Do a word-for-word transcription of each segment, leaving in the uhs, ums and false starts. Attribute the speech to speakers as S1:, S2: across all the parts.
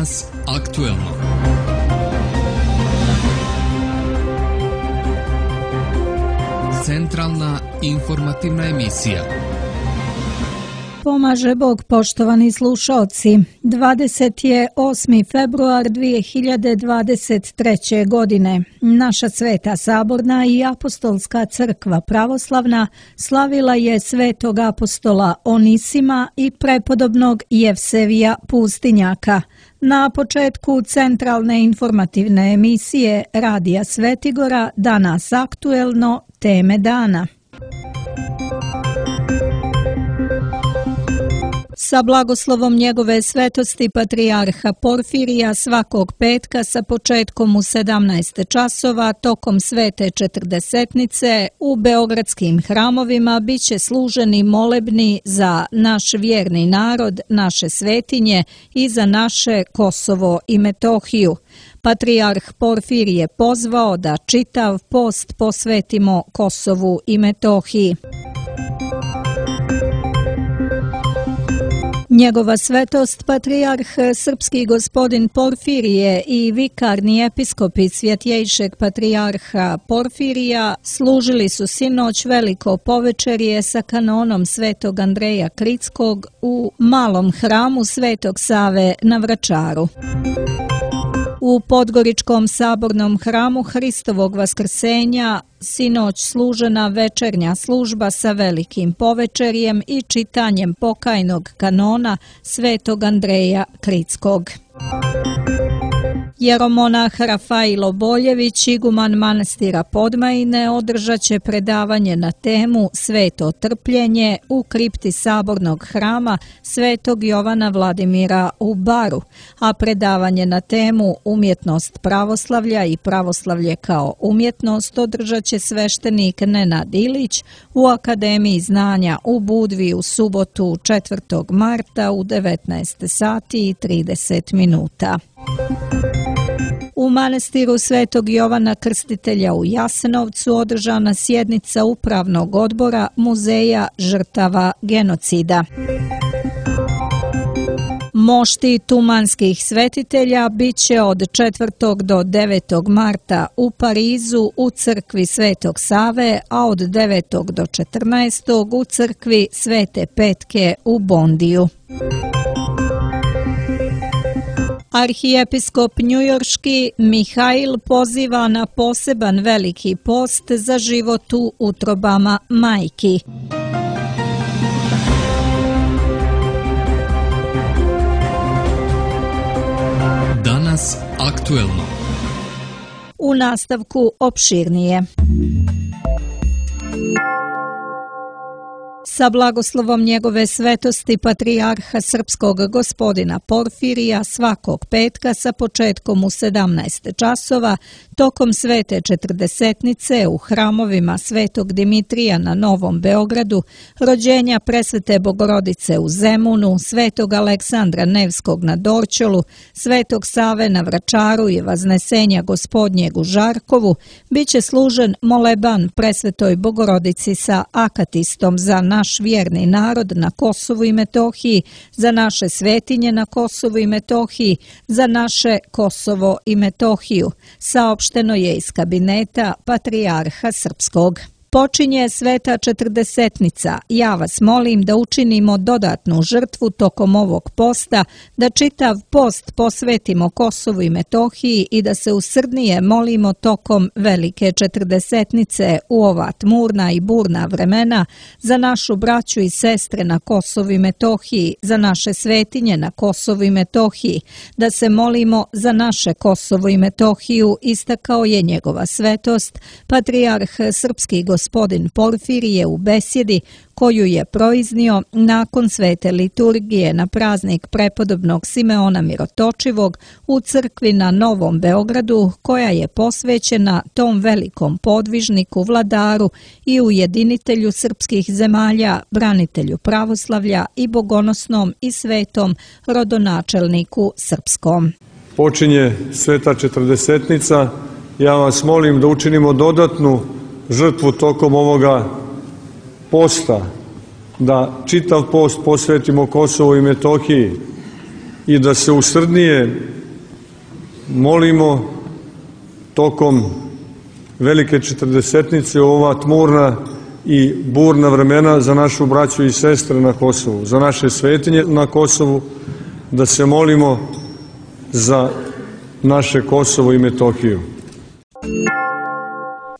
S1: Danas aktuelno. Centralna informativna emisija.
S2: Pomaže Bog, poštovani slušalci. dvadeset osmi februar dvije hiljade dvadeset treće. godine. Naša Sveta Saborna i Apostolska crkva pravoslavna slavila je svetog apostola Onisima i prepodobnog Jevsevija Pustinjaka. Na početku centralne informativne emisije Radija Svetigora Danas aktuelno, teme dana. Sa blagoslovom njegove svetosti patrijarha Porfirija svakog petka sa početkom u sedamnaest časova tokom svete četrdesetnice u beogradskim hramovima biće služeni molebni za naš vjerni narod, naše svetinje i za naše Kosovo i Metohiju. Patrijarh Porfir je pozvao da čitav post posvetimo Kosovu i Metohiji. Njegova svetost, patrijarh srpski gospodin Porfirije i vikarni episkopi Svjetjejšeg patrijarha Porfirija služili su sinoć veliko povečerje sa kanonom svetog Andreja Kritskog u malom hramu Svetog Save na Vračaru. U Podgoričkom sabornom hramu Hristovog vaskrsenja sinoć služena večernja služba sa velikim povečerjem i čitanjem pokajnog kanona svetog Andreja Kritskog. Jeromonah Rafailo Boljević, iguman manastira Podmajine, održat će predavanje na temu Sveto trpljenje u kripti sabornog hrama Svetog Jovana Vladimira u Baru, a predavanje na temu Umjetnost pravoslavlja i pravoslavlje kao umjetnost održat će sveštenik Nenad Ilić u Akademiji znanja u Budvi u subotu četvrtog marta u devetnaest sati i trideset minuta. U manastiru Svetog Jovana Krstitelja u Jasenovcu održana sjednica upravnog odbora Muzeja žrtava genocida. Mošti tumanskih svetitelja biće od četvrtog do devetog marta u Parizu u crkvi Svetog Save, a od devetog do četrnaestog u crkvi Svete Petke u Bondiju. Arhijepiskop njujorški Mihail poziva na poseban veliki post za život u utrobama majki.
S1: Danas aktuelno.
S2: U nastavku opširnije. Sa blagoslovom njegove svetosti patrijarha srpskog gospodina Porfirija svakog petka sa početkom u sedamnaest časova tokom svete četrdesetnice u hramovima Svetog Dimitrija na Novom Beogradu, rođenja Presvete Bogorodice u Zemunu, Svetog Aleksandra Nevskog na Dorćolu, Svetog Save na Vračaru i Vaznesenja Gospodnjeg u Žarkovu, biće služen moleban Presvetoj Bogorodici sa akatistom za naš vjerni narod na Kosovu i Metohiji, za naše svetinje na Kosovu i Metohiji, za naše Kosovo i Metohiju, saopšteno je iz kabineta patrijarha srpskog. Počinje sveta četrdesetnica. Ja vas molim da učinimo dodatnu žrtvu tokom ovog posta, da čitav post posvetimo Kosovu i Metohiji i da se usrdnije molimo tokom velike četrdesetnice u ova tmurna i burna vremena za našu braću i sestre na Kosovu i Metohiji, za naše svetinje na Kosovu i Metohiji, da se molimo za naše Kosovo i Metohiju, istakao je njegova svetost, patrijarh srpski gospodin Porfirije u besjedi koju je proiznio nakon svete liturgije na praznik prepodobnog Simeona Mirotočivog u crkvi na Novom Beogradu, koja je posvećena tom velikom podvižniku, vladaru i ujedinitelju srpskih zemalja, branitelju pravoslavlja i bogonosnom i svetom rodonačelniku srpskom.
S3: Počinje sveta četrdesetnica. Ja vas molim da učinimo dodatnu žrtvu tokom ovoga posta, da čitav post posvetimo Kosovu i Metohiji, i da se usrdnije molimo tokom velike četrdesetnice u ova tmurna i burna vremena za našu braću i sestre na Kosovu, za naše svetinje na Kosovu, da se molimo za naše Kosovo i Metohiju.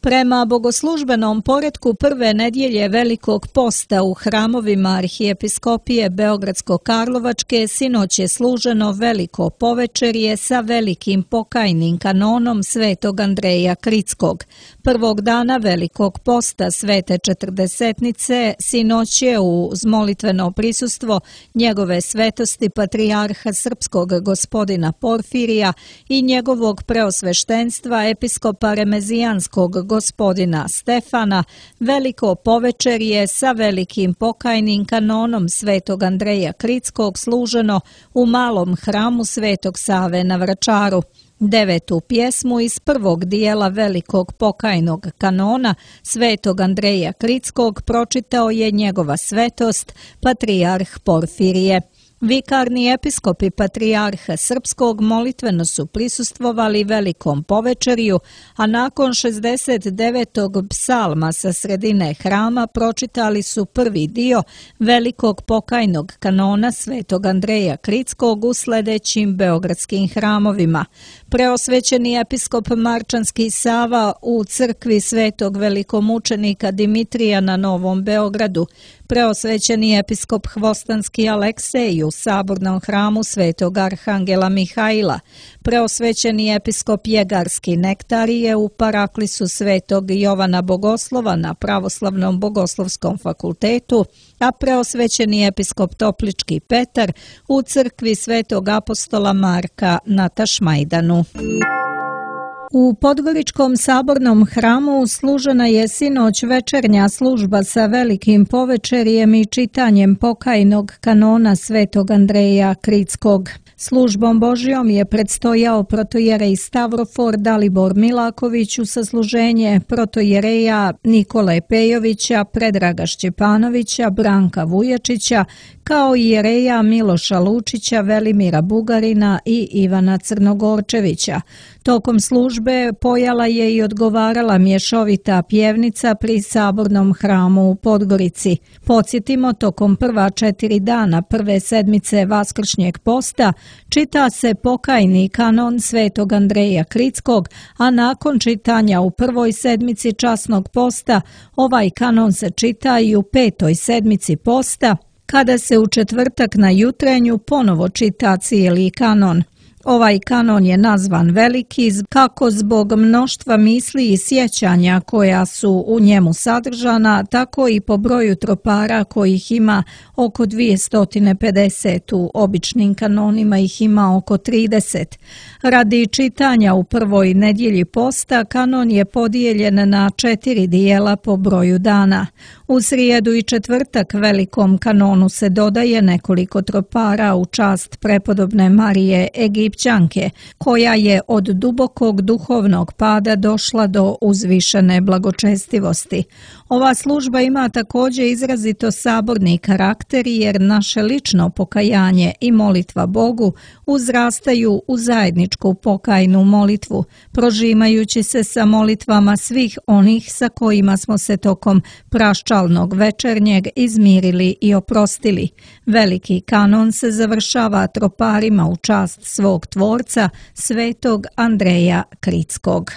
S2: Prema bogoslužbenom poretku prve nedjelje Velikog posta u hramovima Arhijepiskopije Beogradsko-Karlovačke sinoć je služeno veliko povečerje sa velikim pokajnim kanonom Svetog Andreja Kritskog. Prvog dana Velikog posta Svete četrdesetnice sinoć je uz molitveno prisustvo njegove svetosti patrijarha srpskog gospodina Porfirija i njegovog preosveštenstva episkopa remezijanskog gospodina Stefana, veliko povečerje sa velikim pokajnim kanonom Svetog Andreja Kritskog služeno u malom hramu Svetog Save na Vračaru. Devetu pjesmu iz prvog dijela velikog pokajnog kanona Svetog Andreja Kritskog pročitao je njegova svetost, patrijarh Porfirije. Vikarni episkopi patrijarha srpskog molitveno su prisustvovali velikom povečerju, a nakon šezdeset devetog psalma sa sredine hrama pročitali su prvi dio velikog pokajnog kanona Svetog Andreja Kritskog u sledećim beogradskim hramovima. Preosvećeni episkop Marčanski Sava u crkvi Svetog velikomučenika Dimitrija na Novom Beogradu, preosvećeni episkop Hvostanski Aleksej u sabornom hramu Svetog Arhangela Mihajla, preosvećeni episkop Jegarski Nektarije u paraklisu Svetog Jovana Bogoslova na Pravoslavnom bogoslovskom fakultetu, a preosvećeni episkop Toplički Petar u crkvi Svetog apostola Marka na Tašmajdanu. U Podgoričkom sabornom hramu služena je sinoć večernja služba sa velikim povečerjem i čitanjem pokajnog kanona Svetog Andreja Kritskog. Službom Božjom je predstojao protojerej Stavrofor Dalibor Milaković u sasluženje protojereja Nikole Pejovića, Predraga Šćepanovića, Branka Vujačića, kao i jereja Miloša Lučića, Velimira Bugarina i Ivana Crnogorčevića. Tokom službe pojala je i odgovarala mješovita pjevnica pri sabornom hramu u Podgorici. Podsjetimo, tokom prva četiri dana prve sedmice Vaskršnjeg posta čita se pokajni kanon Svetog Andreja Kritskog, a nakon čitanja u prvoj sedmici časnog posta ovaj kanon se čita i u petoj sedmici posta, kada se u četvrtak na jutrenju ponovo čita cijeli kanon. Ovaj kanon je nazvan veliki kako zbog mnoštva misli i sjećanja koja su u njemu sadržana, tako i po broju tropara kojih ima oko dvjesto pedeset, u običnim kanonima ih ima oko trideset. Radi čitanja u prvoj nedjelji posta kanon je podijeljen na četiri dijela po broju dana. U srijedu i četvrtak velikom kanonu se dodaje nekoliko tropara u čast prepodobne Marije Egipćanke, koja je od dubokog duhovnog pada došla do uzvišene blagočestivosti. Ova služba ima također izrazito saborni karakter jer naše lično pokajanje i molitva Bogu uzrastaju u zajedničku pokajnu molitvu, prožimajući se sa molitvama svih onih sa kojima smo se tokom praščalnog večernjeg izmirili i oprostili. Veliki kanon se završava troparima u čast svog tvorca, Svetog Andreja Kritskog.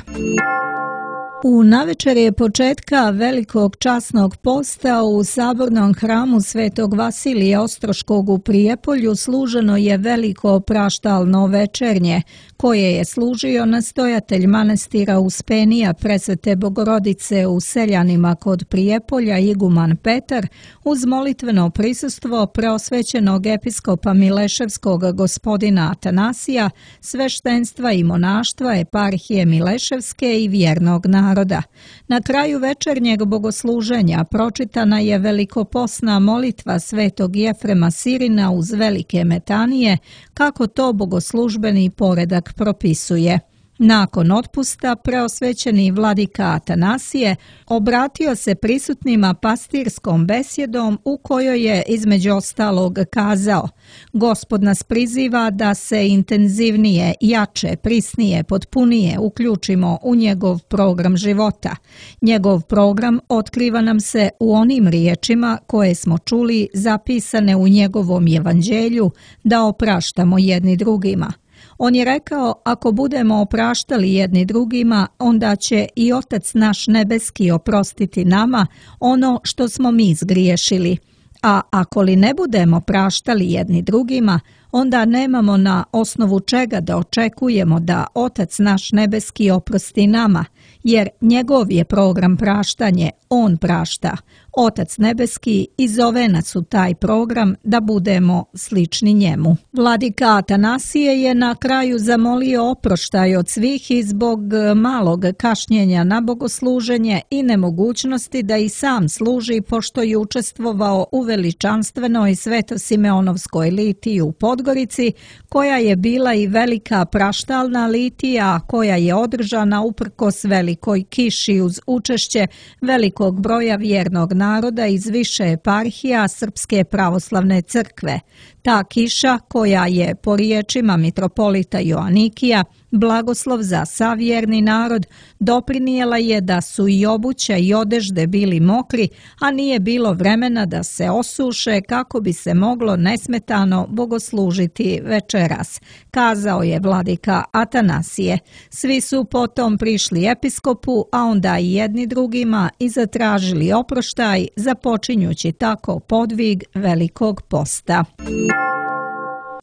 S2: U navečerje početka velikog časnog posta u sabornom hramu Svetog Vasilija Ostroškog u Prijepolju služeno je veliko praštalno večernje, koje je služio nastojatelj manastira Uspenija Presvete Bogorodice u Seljanima kod Prijepolja iguman Petar uz molitveno prisustvo preosvećenog episkopa Mileševskog gospodina Atanasija, sveštenstva i monaštva eparhije Mileševske i vjernog naroda. Na kraju večernjeg bogosluženja pročitana je velikoposna molitva Svetog Jefrema Sirina uz velike metanije, kako to bogoslužbeni poredak propisuje. Nakon otpusta, preosvećeni vladika Atanasije obratio se prisutnima pastirskom besjedom u kojoj je između ostalog kazao: Gospod nas priziva da se intenzivnije, jače, prisnije, potpunije uključimo u njegov program života. Njegov program otkriva nam se u onim riječima koje smo čuli zapisane u njegovom evanđelju da opraštamo jedni drugima. On je rekao, ako budemo opraštali jedni drugima, onda će i Otac naš nebeski oprostiti nama ono što smo mi zgriješili. A ako li ne budemo praštali jedni drugima, onda nemamo na osnovu čega da očekujemo da Otac naš nebeski oprosti nama, jer njegov je program praštanje, on prašta. Otac nebeski i zove nas u taj program da budemo slični njemu. Vladika Atanasije je na kraju zamolio oproštaj od svih i zbog malog kašnjenja na bogosluženje i nemogućnosti da i sam služi, pošto je učestvovao u veličanstvenoj Sveto-Simeonovskoj litiji u Podgorici, koja je bila i velika praštalna litija, koja je održana uprkos velikoj kiši uz učešće velikog broja vjernog naroda iz više eparhija Srpske pravoslavne crkve. Ta kiša, koja je po riječima mitropolita Joanikija blagoslov za savjerni narod, doprinijela je da su i obuća i odežde bili mokri, a nije bilo vremena da se osuše kako bi se moglo nesmetano bogoslužiti večeras, kazao je vladika Atanasije. Svi su potom prišli episkopu, a onda i jedni drugima i zatražili oproštaj, započinjući tako podvig Velikog posta.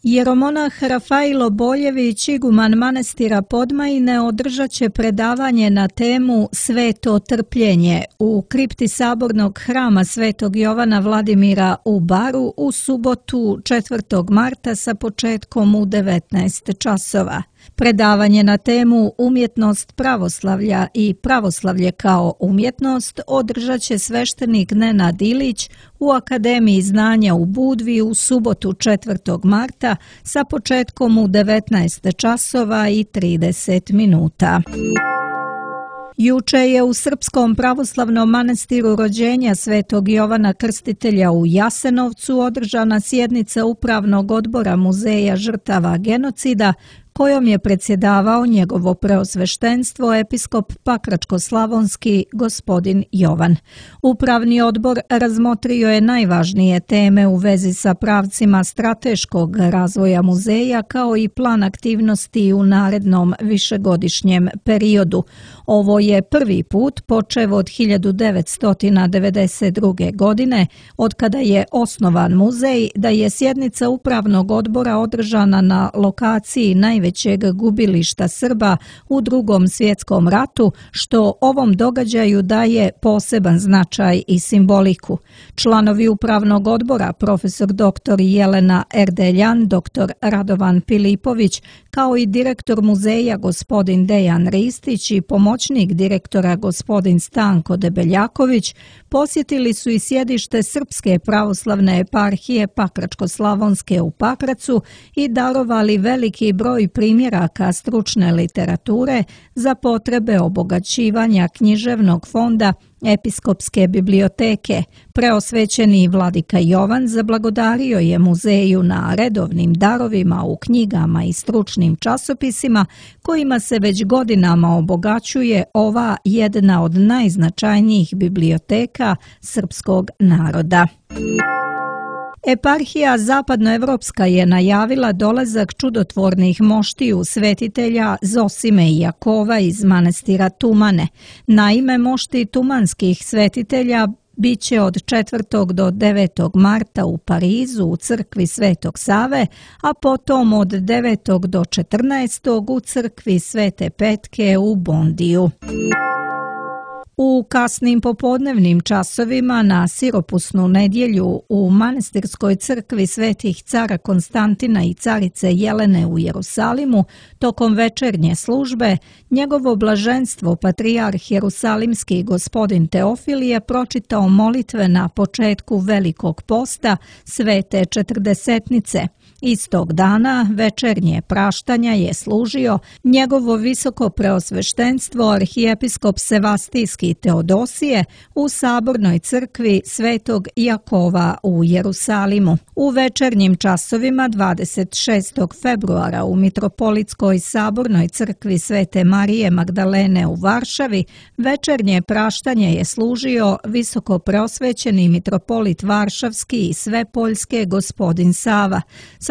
S2: Jeromonah Rafailo Boljević, iguman manastira Podmajine, održat će predavanje na temu Sveto trpljenje u kripti sabornog hrama Svetog Jovana Vladimira u Baru u subotu četvrtog marta sa početkom u devetnaest časova. Predavanje na temu Umjetnost pravoslavlja i pravoslavlje kao umjetnost održat će sveštenik Nenad Ilić u Akademiji znanja u Budvi u subotu četvrtog marta sa početkom u devetnaest časova i trideset minuta. Juče je u Srpskom pravoslavnom manastiru rođenja Svetog Jovana Krstitelja u Jasenovcu održana sjednica Upravnog odbora Muzeja žrtava genocida, kojom je predsjedavao njegovo preosveštenstvo episkop Pakračko-slavonski gospodin Jovan. Upravni odbor razmotrio je najvažnije teme u vezi sa pravcima strateškog razvoja muzeja kao i plan aktivnosti u narednom višegodišnjem periodu. Ovo je prvi put, počev od hiljadu devetsto devedeset druge. godine, od kada je osnovan muzej, da je sjednica Upravnog odbora održana na lokaciji najvećeg gubilišta Srba u Drugom svjetskom ratu, što ovom događaju daje poseban značaj i simboliku. Članovi Upravnog odbora, profesor doktor Jelena Erdeljan, doktor Radovan Filipović, kao i direktor muzeja gospodin Dejan Ristić i pomoćnik direktora gospodin Stanko Debeljaković, posjetili su i sjedište Srpske pravoslavne eparhije Pakračko-slavonske u Pakracu i darovali veliki broj primjeraka stručne literature za potrebe obogaćivanja književnog fonda Episkopske biblioteke. Preosvećeni vladika Jovan zablagodario je muzeju na redovnim darovima u knjigama i stručnim časopisima kojima se već godinama obogaćuje ova jedna od najznačajnijih biblioteka srpskog naroda. Eparhija Zapadnoevropska je najavila dolazak čudotvornih moštiju svetitelja Zosime i Jakova iz manastira Tumane. Naime, mošti tumanskih svetitelja biće od četvrtog do devetog marta u Parizu u crkvi Svetog Save, a potom od devetog do četrnaestog u crkvi Svete Petke u Bondiju. U kasnim popodnevnim časovima na siropusnu nedjelju u manastirskoj crkvi Svetih cara Konstantina i carice Jelene u Jerusalimu, tokom večernje službe, njegovo blaženstvo patrijarh Jerusalimski gospodin Teofil je pročitao molitve na početku Velikog posta Svete četrdesetnice. Istog dana večernje praštanja je služio njegovo visoko preosveštenstvo arhijepiskop Sevastijski Teodosije u sabornoj crkvi Svetog Jakova u Jerusalimu. U večernjim časovima dvadeset šestog februara u Mitropolitskoj sabornoj crkvi Svete Marije Magdalene u Varšavi večernje praštanje je služio visoko preosvećeni mitropolit Varšavski i Svepoljske gospodin Sava.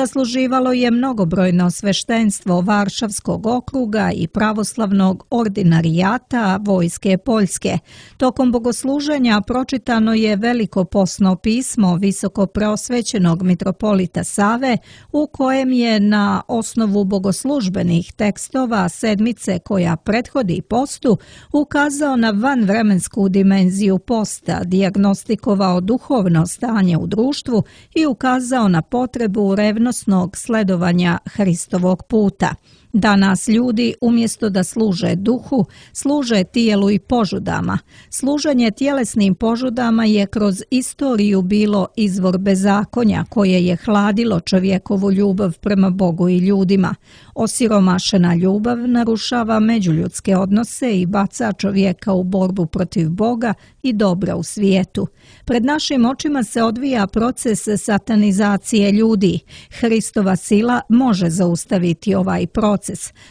S2: Sasluživalo je mnogobrojno sveštenstvo Varšavskog okruga i pravoslavnog ordinarijata Vojske Poljske. Tokom bogosluženja pročitano je veliko posno pismo visoko preosvećenog mitropolita Save, u kojem je na osnovu bogoslužbenih tekstova sedmice koja prethodi postu ukazao na vanvremensku dimenziju posta, dijagnostikovao duhovno stanje u društvu i ukazao na potrebu revnosnog sledovanja Hristovog puta. Danas ljudi umjesto da služe duhu, služe tijelu i požudama. Služenje tjelesnim požudama je kroz istoriju bilo izvor bezakonja koje je hladilo čovjekovu ljubav prema Bogu i ljudima. Osiromašena ljubav narušava međuljudske odnose i baca čovjeka u borbu protiv Boga i dobra u svijetu. Pred našim očima se odvija proces satanizacije ljudi. Hristova sila može zaustaviti ovaj proces.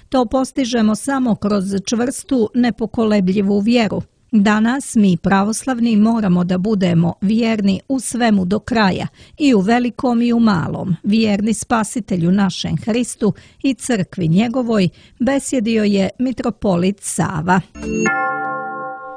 S2: To postižemo samo kroz čvrstu, nepokolebljivu vjeru. Danas mi pravoslavni moramo da budemo vjerni u svemu do kraja, i u velikom i u malom, vjerni Spasitelju našem Hristu i crkvi njegovoj, besjedio je mitropolit Sava.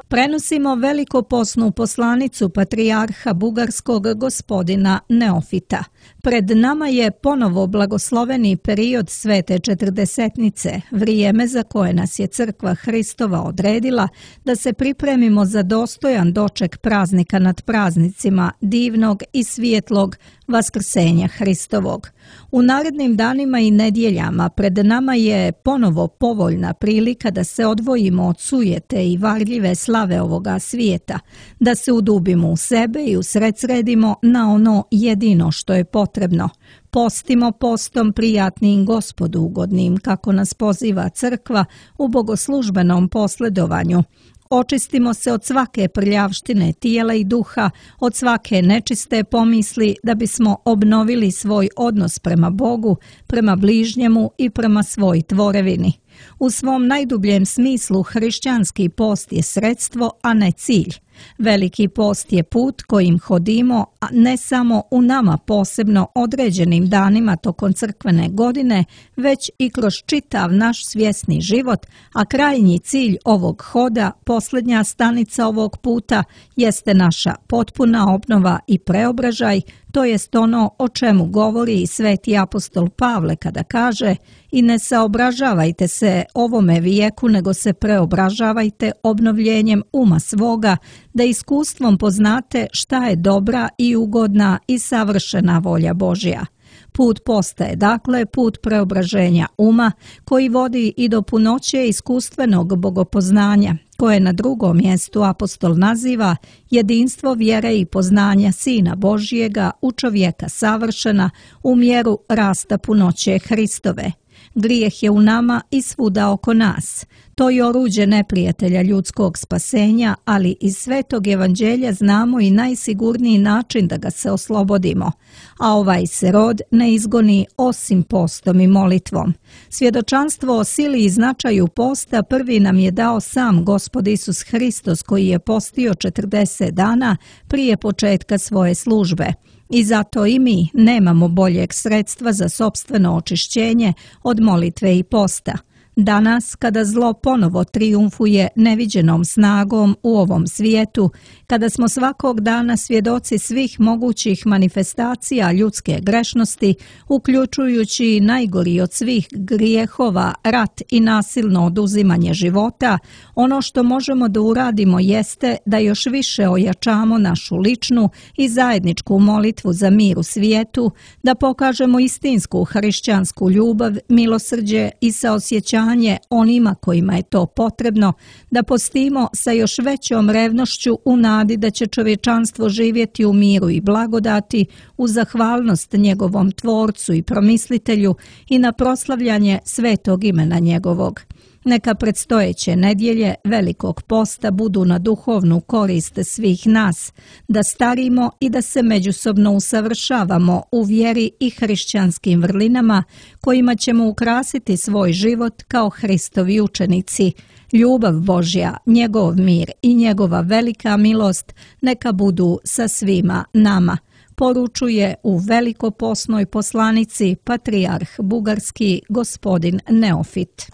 S2: Prenosimo velikoposnu poslanicu patrijarha bugarskog gospodina Neofita. Pred nama je ponovo blagosloveni period Svete Četrdesetnice, vrijeme za koje nas je Crkva Hristova odredila da se pripremimo za dostojan doček praznika nad praznicima, divnog i svijetlog Vaskrsenja Hristovog. U narednim danima i nedjeljama pred nama je ponovo povoljna prilika da se odvojimo od sujete i varljive slave ovoga svijeta, da se udubimo u sebe i usredsredimo na ono jedino što je potrebno. Postimo postom prijatnim Gospodu ugodnim, kako nas poziva crkva u bogoslužbenom posledovanju. Očistimo se od svake prljavštine tijela i duha, od svake nečiste pomisli, da bismo obnovili svoj odnos prema Bogu, prema bližnjemu i prema svoj tvorevini. U svom najdubljem smislu hrišćanski post je sredstvo, a ne cilj. Veliki post je put kojim hodimo, a ne samo u nama posebno određenim danima tokom crkvene godine, već i kroz čitav naš svjesni život, a krajnji cilj ovog hoda, posljednja stanica ovog puta, jeste naša potpuna obnova i preobražaj, to jest ono o čemu govori i sveti apostol Pavle kada kaže: i ne saobražavajte se ovome vijeku, nego se preobražavajte obnovljenjem uma svoga, da iskustvom poznate šta je dobra i ugodna i savršena volja Božja. Put posta je dakle put preobraženja uma koji vodi i do punoće iskustvenog bogopoznanja, koje na drugom mjestu apostol naziva jedinstvo vjere i poznanja Sina Božjega u čovjeka savršena u mjeru rasta punoće Hristove. Grijeh je u nama i svuda oko nas. To je oruđe neprijatelja ljudskog spasenja, ali iz Svetog Evanđelja znamo i najsigurniji način da ga se oslobodimo. A ovaj se rod ne izgoni osim postom i molitvom. Svjedočanstvo o sili i značaju posta prvi nam je dao sam Gospod Isus Hristos, koji je postio četrdeset dana prije početka svoje službe. I zato i mi nemamo boljeg sredstva za sopstveno očišćenje od molitve i posta. Danas, kada zlo ponovo trijumfuje neviđenom snagom u ovom svijetu, kada smo svakog dana svjedoci svih mogućih manifestacija ljudske grešnosti, uključujući najgori od svih grijehova, rat i nasilno oduzimanje života, ono što možemo da uradimo jeste da još više ojačamo našu ličnu i zajedničku molitvu za mir u svijetu, da pokažemo istinsku hrišćansku ljubav, milosrđe i saosjećanje obećanje onima kojima je to potrebno, da postimo sa još većom revnošću u nadi da će čovječanstvo živjeti u miru i blagodati, u zahvalnost njegovom Tvorcu i Promislitelju i na proslavljanje svetog imena njegovog. Neka predstojeće nedjelje Velikog posta budu na duhovnu korist svih nas, da starimo i da se međusobno usavršavamo u vjeri i hrišćanskim vrlinama kojima ćemo ukrasiti svoj život kao Hristovi učenici. Ljubav Božja, njegov mir i njegova velika milost neka budu sa svima nama, poručuje u velikoposnoj poslanici patrijarh bugarski gospodin Neofit.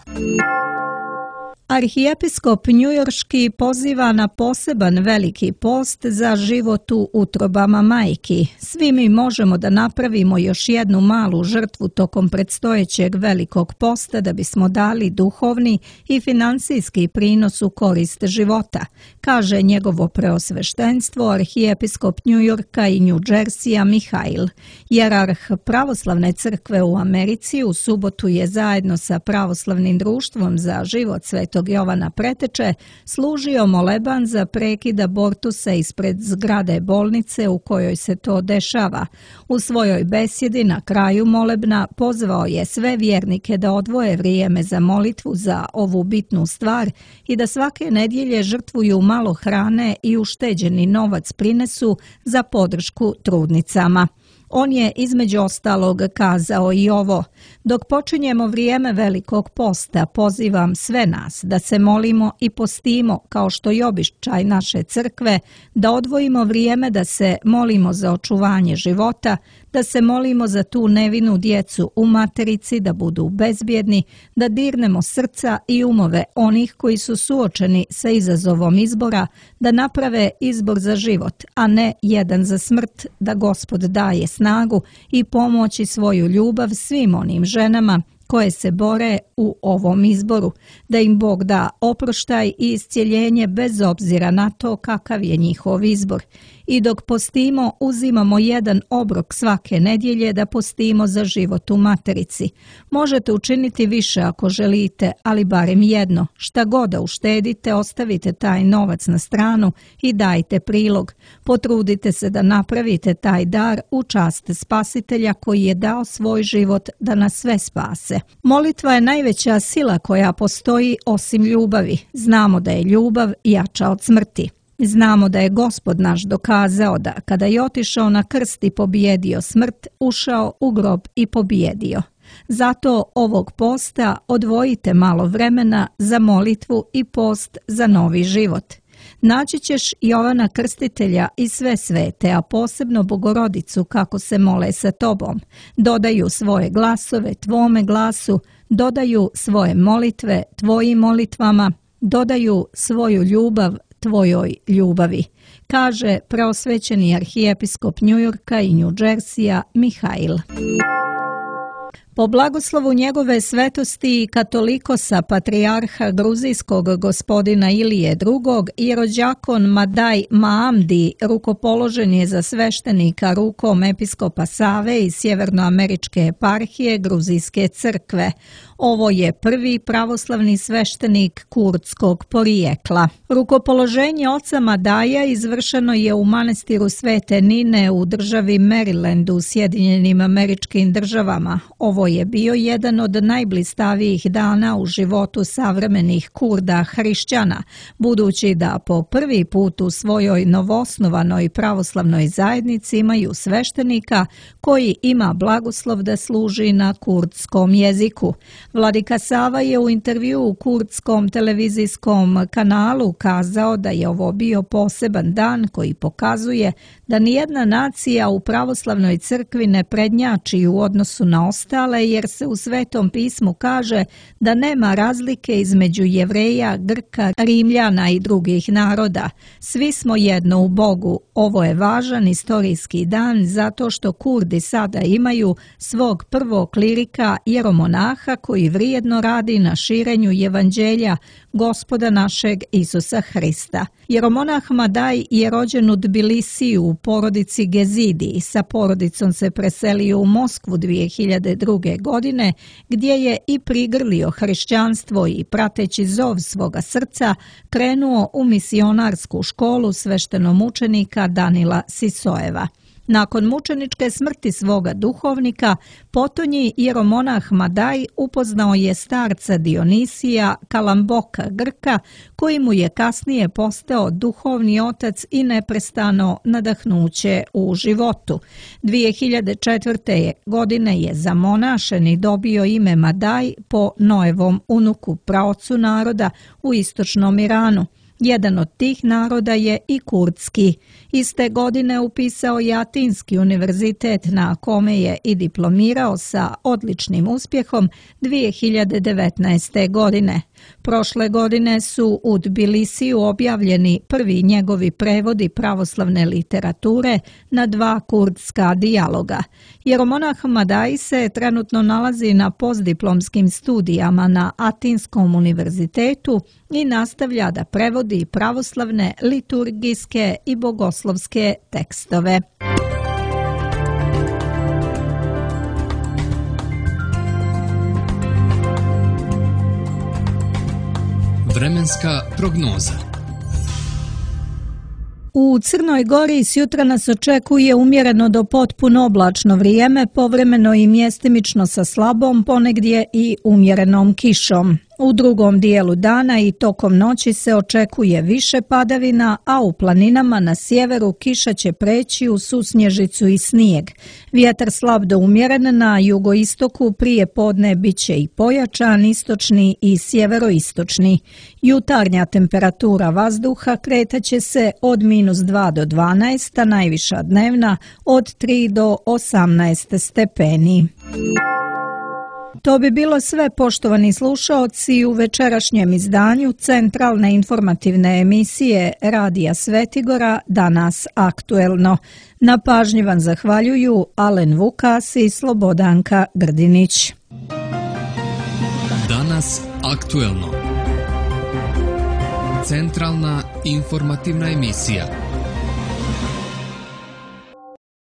S2: Arhijepiskop njujorški poziva na poseban veliki post za život u utrobama majki. Svi mi možemo da napravimo još jednu malu žrtvu tokom predstojećeg velikog posta da bismo dali duhovni i financijski prinos u korist života, kaže njegovo preosveštenstvo arhijepiskop Njujorka i New Jersija Mihail. Jerarh pravoslavne crkve u Americi u subotu je zajedno sa pravoslavnim društvom za život Svetog Jovana Preteče služio moleban za prekid abortusa ispred zgrade bolnice u kojoj se to dešava. U svojoj besjedi na kraju molebna pozvao je sve vjernike da odvoje vrijeme za molitvu za ovu bitnu stvar i da svake nedjelje žrtvuju malo hrane i ušteđeni novac prinesu za podršku trudnicama. On je između ostalog kazao i ovo: dok počinjemo vrijeme Velikog posta, pozivam sve nas da se molimo i postimo kao što je običaj naše crkve, da odvojimo vrijeme da se molimo za očuvanje života, da se molimo za tu nevinu djecu u materici da budu bezbjedni, da dirnemo srca i umove onih koji su suočeni sa izazovom izbora, da naprave izbor za život, a ne jedan za smrt, da Gospod daje snagu i pomoći svoju ljubav svim onim ženama koje se bore u ovom izboru, da im Bog da oproštaj i iscjeljenje bez obzira na to kakav je njihov izbor. I dok postimo, uzimamo jedan obrok svake nedjelje da postimo za život u materici. Možete učiniti više ako želite, ali barem jedno. Šta god da uštedite, ostavite taj novac na stranu i dajte prilog. Potrudite se da napravite taj dar u čast Spasitelja koji je dao svoj život da nas sve spase. Molitva je najveća sila koja postoji osim ljubavi. Znamo da je ljubav jača od smrti. Znamo da je Gospod naš dokazao da kada je otišao na krst i pobijedio smrt, ušao u grob i pobijedio. Zato ovog posta odvojite malo vremena za molitvu i post za novi život. Naći ćeš Jovana Krstitelja i sve svete, a posebno Bogorodicu kako se mole sa tobom. Dodaju svoje glasove tvome glasu, dodaju svoje molitve tvojim molitvama, dodaju svoju ljubav tvojoj ljubavi, kaže preosvećeni arhijepiskop Njujorka i New Jersija Mihail. Po blagoslovu njegove svetosti katolikosa patrijarha gruzijskog gospodina Ilije drugog, jerođakon Madaj Maamdi rukopoložen je za sveštenika rukom episkopa Save iz sjevernoameričke eparhije Gruzijske crkve. Ovo je prvi pravoslavni sveštenik kurdskog porijekla. Rukopoloženje oca Madaja izvršeno je u manastiru Svete Nine u državi Marylandu u Sjedinjenim Američkim Državama. Ovo je bio jedan od najblistavijih dana u životu savremenih Kurda hrišćana, budući da po prvi put u svojoj novoosnovanoj pravoslavnoj zajednici imaju sveštenika koji ima blagoslov da služi na kurdskom jeziku. Vladika Sava je u intervju u kurdskom televizijskom kanalu kazao da je ovo bio poseban dan koji pokazuje da nijedna nacija u pravoslavnoj crkvi ne prednjači u odnosu na ostale, jer se u Svetom pismu kaže da nema razlike između Jevreja, Grka, Rimljana i drugih naroda. Svi smo jedno u Bogu. Ovo je važan istorijski dan zato što Kurdi sada imaju svog prvog klirika jeromonaha koji vrijedno radi na širenju evanđelja Gospoda našeg Isusa Hrista. Jeromonah Madaj je rođen u Tbilisiju u porodici Gezidi. Sa porodicom se preselio u Moskvu dvije hiljade druge. druge. godine, gdje je i prigrlio hrišćanstvo i prateći zov svoga srca krenuo u misionarsku školu sveštenomučenika Danila Sisoeva. Nakon mučeničke smrti svoga duhovnika, potonji jeromonah Madaj upoznao je starca Dionisija Kalamboka Grka, koji mu je kasnije postao duhovni otac i neprestano nadahnuće u životu. dvije hiljade četvrte. godine je zamonašen i dobio ime Madaj po Noevom unuku, praocu naroda u istočnom Iranu. Jedan od tih naroda je i kurdski. Iste godine upisao je Atinski univerzitet, na kome je i diplomirao sa odličnim uspjehom dvije hiljade devetnaeste. godine. Prošle godine su u Tbilisiju objavljeni prvi njegovi prevodi pravoslavne literature na dva kurdska dijaloga. Jeromonah Madaj se trenutno nalazi na postdiplomskim studijama na Atinskom univerzitetu i nastavlja da prevodi pravoslavne, liturgijske i bogoslovske tekstove.
S1: Vremenska prognoza.
S2: U Crnoj Gori sjutra nas očekuje umjereno do potpuno oblačno vrijeme, povremeno i mjestimično sa slabom, ponegdje i umjerenom kišom. U drugom dijelu dana i tokom noći se očekuje više padavina, a u planinama na sjeveru kiša će preći u susnježicu i snijeg. Vjetar slab do umjeren, na jugoistoku prije podne bit će i pojačan, istočni i sjeveroistočni. Jutarnja temperatura vazduha kretaće se od minus dva do dvanaest, a najviša dnevna od tri do osamnaest stepeni. To bi bilo sve, poštovani slušaoci, u večerašnjem izdanju centralne informativne emisije Radija Svetigora Danas aktuelno. Na pažnji vam zahvaljuju Alen Vukas i Slobodanka Grdinić.
S1: Danas aktuelno. Centralna informativna emisija.